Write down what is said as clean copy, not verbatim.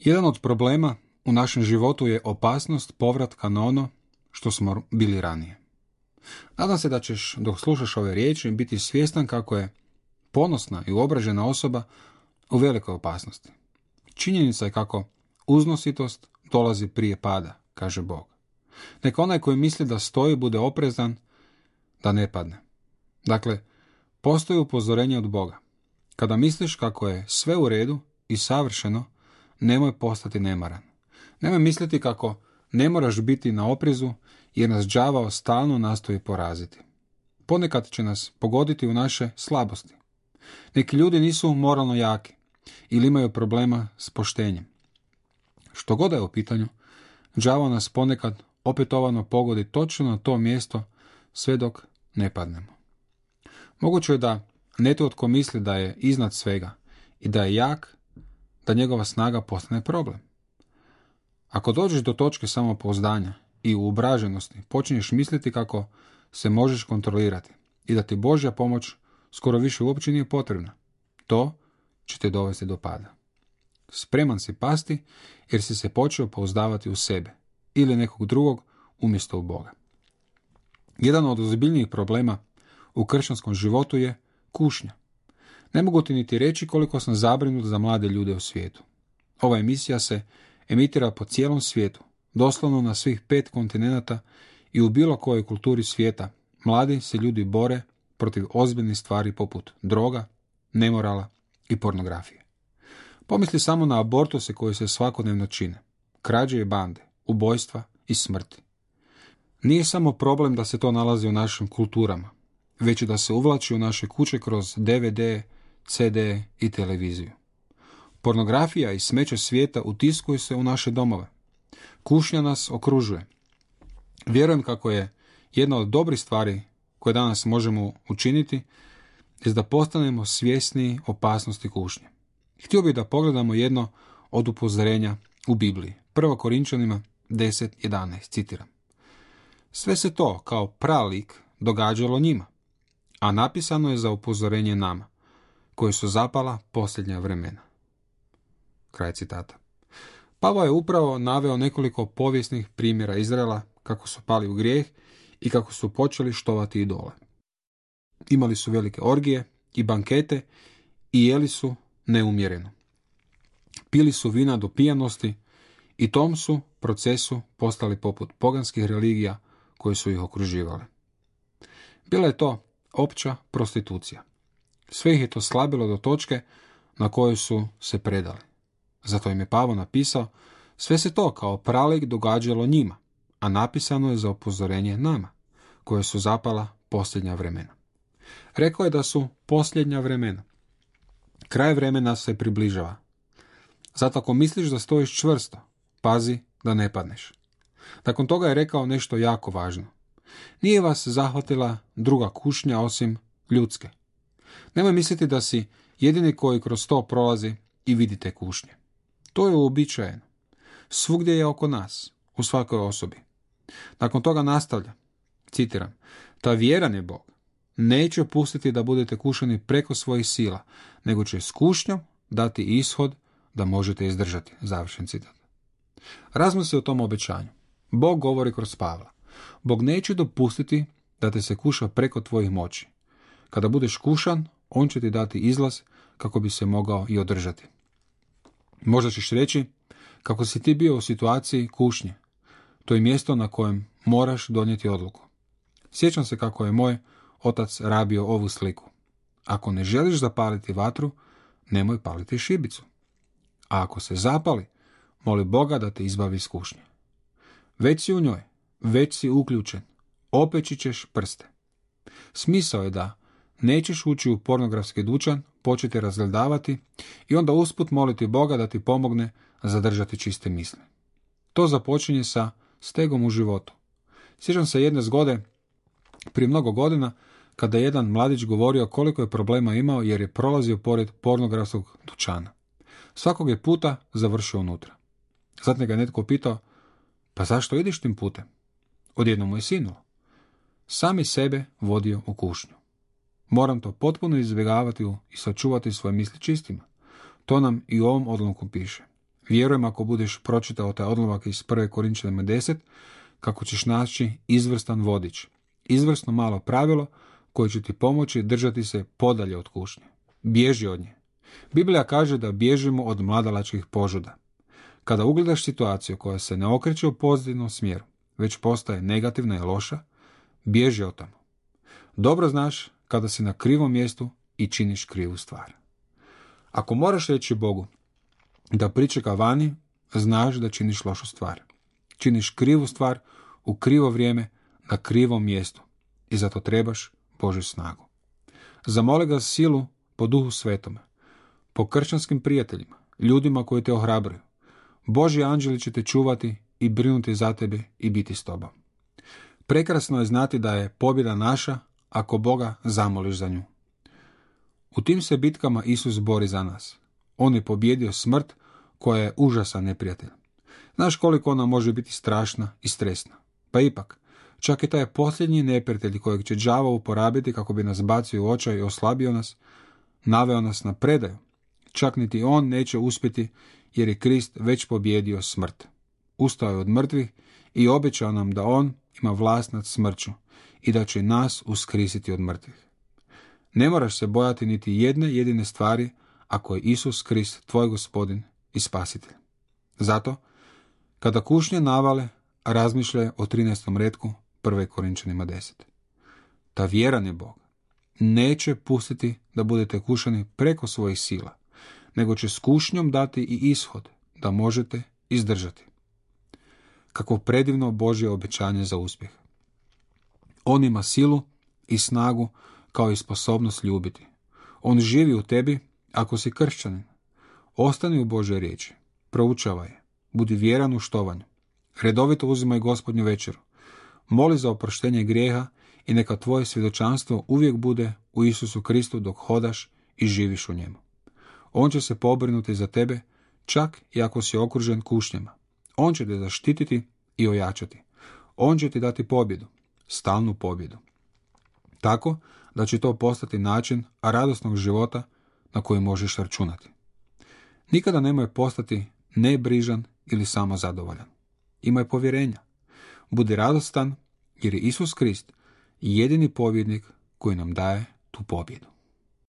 Jedan od problema u našem životu je opasnost povratka na ono što smo bili ranije. Nadam se da ćeš, dok slušaš ove riječi, biti svjestan kako je ponosna i uobražena osoba u velikoj opasnosti. Činjenica je kako uznositost dolazi prije pada, kaže Bog. Neka onaj koji misli da stoji bude oprezan da ne padne. Dakle, postoji upozorenje od Boga. Kada misliš kako je sve u redu i savršeno, nemoj postati nemaran. Nemoj misliti kako ne moraš biti na oprezu jer nas đavao stalno nastoji poraziti. Ponekad će nas pogoditi u naše slabosti. Neki ljudi nisu moralno jaki ili imaju problema s poštenjem. Što god je u pitanju, đavao nas ponekad opetovano pogodi točno na to mjesto sve dok ne padnemo. Moguće je da netko misli da je iznad svega i da je jak, da njegova snaga postane problem. Ako dođeš do točke samopouzdanja i uobraženosti, počinješ misliti kako se možeš kontrolirati i da ti Božja pomoć skoro više uopće nije potrebna. To će te dovesti do pada. Spreman si pasti jer si se počeo pouzdavati u sebe ili nekog drugog umjesto u Boga. Jedan od ozbiljnijih problema u kršćanskom životu je kušnja. Ne mogu ti niti reći koliko sam zabrinut za mlade ljude u svijetu. Ova emisija se emitira po cijelom svijetu, doslovno na svih 5 kontinenata i u bilo kojoj kulturi svijeta. Mladi se ljudi bore protiv ozbiljnih stvari poput droga, nemorala i pornografije. Pomisli samo na abortuse koji se svakodnevno čine, krađe i bande, ubojstva i smrti. Nije samo problem da se to nalazi u našim kulturama, već i da se uvlači u naše kuće kroz DVD, CD i televiziju. Pornografija i smeće svijeta utiskuju se u naše domove. Kušnja nas okružuje. Vjerujem kako je jedna od dobrih stvari koje danas možemo učiniti je da postanemo svjesniji opasnosti kušnje. Htio bih da pogledamo jedno od upozorenja u Bibliji. 1. Korinčanima 10:11, citiram. Sve se to kao pralik događalo njima, a napisano je za upozorenje nama, koji su zapala posljednja vremena. Kraj citata. Pavao je upravo naveo nekoliko povijesnih primjera Izraela kako su pali u grijeh i kako su počeli štovati idole. Imali su velike orgije i bankete i jeli su neumjereno. Pili su vina do pijanosti i tom su procesu postali poput poganskih religija koje su ih okruživale. Bila je to opća prostitucija. Sve ih je to slabilo do točke na kojoj su se predali. Zato im je Pavao napisao, sve se to kao pralik događalo njima, a napisano je za upozorenje nama, koje su zapala posljednja vremena. Rekao je da su posljednja vremena. Kraj vremena se približava. Zato ako misliš da stojiš čvrsto, pazi da ne padneš. Nakon toga je rekao nešto jako važno. Nije vas zahvatila druga kušnja osim ljudske. Nemoj misliti da si jedini koji kroz to prolazi i vidi te kušnje. To je uobičajeno. Svugdje je oko nas, u svakoj osobi. Nakon toga nastavlja, citiram, ta vjeran je Bog. Neće pustiti da budete kušani preko svojih sila, nego će s kušnjom dati ishod da možete izdržati. Završen citat. Razmisli o tom obećanju. Bog govori kroz Pavla. Bog neće dopustiti da te se kuša preko tvojih moći. Kada budeš kušan, on će ti dati izlaz kako bi se mogao i održati. Možda ćeš reći kako si ti bio u situaciji kušnje. To je mjesto na kojem moraš donijeti odluku. Sjećam se kako je moj otac rabio ovu sliku. Ako ne želiš zapaliti vatru, nemoj paliti šibicu. A ako se zapali, moli Boga da te izbavi iz kušnje. Već si u njoj, već si uključen, opeći ćeš prste. Smisao je da nećeš ući u pornografski dućan, početi razgledavati i onda usput moliti Boga da ti pomogne zadržati čiste misli. To započinje sa stegom u životu. Sjećam se jedne zgode prije mnogo godina kada je jedan mladić govorio koliko je problema imao jer je prolazio pored pornografskog dućana. Svakog je puta završio unutra. Zatim ga je netko pitao, pa zašto ideš tim putem? Odjednom mu je sinulo. Sami sebe vodio u kušnju. Moram to potpuno izbjegavati i sačuvati svoje misli čistima. To nam i u ovom odlomku piše. Vjerujem ako budeš pročitao taj odlomak iz 1. Korinčanima 10, kako ćeš naći izvrstan vodič, izvrsno malo pravilo koje će ti pomoći držati se podalje od kušnje. Bježi od nje. Biblija kaže da bježimo od mladalačkih požuda. Kada ugledaš situaciju koja se ne okreće u pozitivnom smjeru, već postaje negativna i loša, bježi od tamo. Dobro znaš kada si na krivom mjestu i činiš krivu stvar. Ako moraš reći Bogu da pričeka vani, znaš da činiš lošu stvar. Činiš krivu stvar u krivo vrijeme na krivom mjestu i zato trebaš Božju snagu. Zamoli ga silu po Duhu Svetome, po kršćanskim prijateljima, ljudima koji te ohrabruju. Božji anđeli će te čuvati i brinuti za tebe i biti s tobom. Prekrasno je znati da je pobjeda naša ako Boga zamoliš za nju. U tim se bitkama Isus bori za nas. On je pobjedio smrt koja je užasan neprijatelj. Znaš koliko ona može biti strašna i stresna. Pa ipak, čak i taj posljednji neprijatelj kojeg će đavo uporabiti kako bi nas bacio u očaj i oslabio nas, naveo nas na predaju, čak niti on neće uspjeti jer je Krist već pobjedio smrt. Ustao je od mrtvih i obećao nam da on ima vlast nad smrću i da će nas uskrisiti od mrtvih. Ne moraš se bojati niti jedne jedine stvari ako je Isus Krist tvoj gospodin i spasitelj. Zato, kada kušnje navale, razmišljaj o 13. retku 1. Korinčanima 10. Ta vjeran je Bog. Neće pustiti da budete kušani preko svojih sila, nego će s kušnjom dati i ishod da možete izdržati. Kako predivno Božje obećanje za uspjeh. On ima silu i snagu kao i sposobnost ljubiti. On živi u tebi ako si kršćanin. Ostani u Božoj riječi, proučavaj je, budi vjeran u štovanju. Redovito uzimaj Gospodnju večeru. Moli za oproštenje grijeha i neka tvoje svjedočanstvo uvijek bude u Isusu Kristu dok hodaš i živiš u njemu. On će se pobrinuti za tebe čak i ako si okružen kušnjama. On će te zaštititi i ojačati. On će ti dati pobjedu, stalnu pobjedu. Tako da će to postati način radosnog života na koji možeš računati. Nikada nemoj postati nebrižan ili samo zadovoljan. Imaj povjerenja. Budi radostan jer je Isus Krist jedini pobjednik koji nam daje tu pobjedu.